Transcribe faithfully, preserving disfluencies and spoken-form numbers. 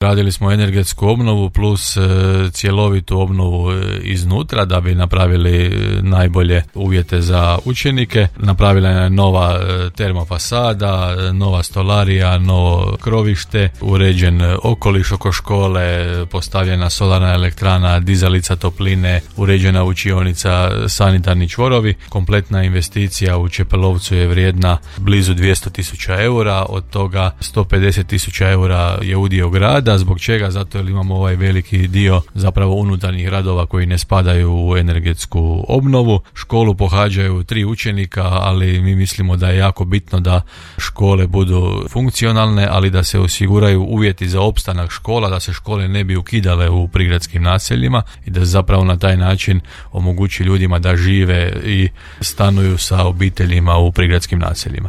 Radili smo energetsku obnovu plus e, cjelovitu obnovu e, iznutra da bi napravili e, najbolje uvjete za učenike. Napravila je nova e, termofasada, e, nova stolarija, novo krovište, uređen okoliš oko škole, postavljena solarna elektrana, dizalica topline, uređena učionica, sanitarni čvorovi. Kompletna investicija u Čepelovcu je vrijedna blizu dvjesto tisuća eura, od toga sto pedeset tisuća eura je udio grada. Zbog čega? Zato jer imamo ovaj veliki dio zapravo unutarnjih radova koji ne spadaju u energetsku obnovu. Školu pohađaju tri učenika, ali mi mislimo da je jako bitno da škole budu funkcionalne, ali da se osiguraju uvjeti za opstanak škola, da se škole ne bi ukidale u prigradskim naseljima i da zapravo na taj način omogući ljudima da žive i stanuju sa obiteljima u prigradskim naseljima.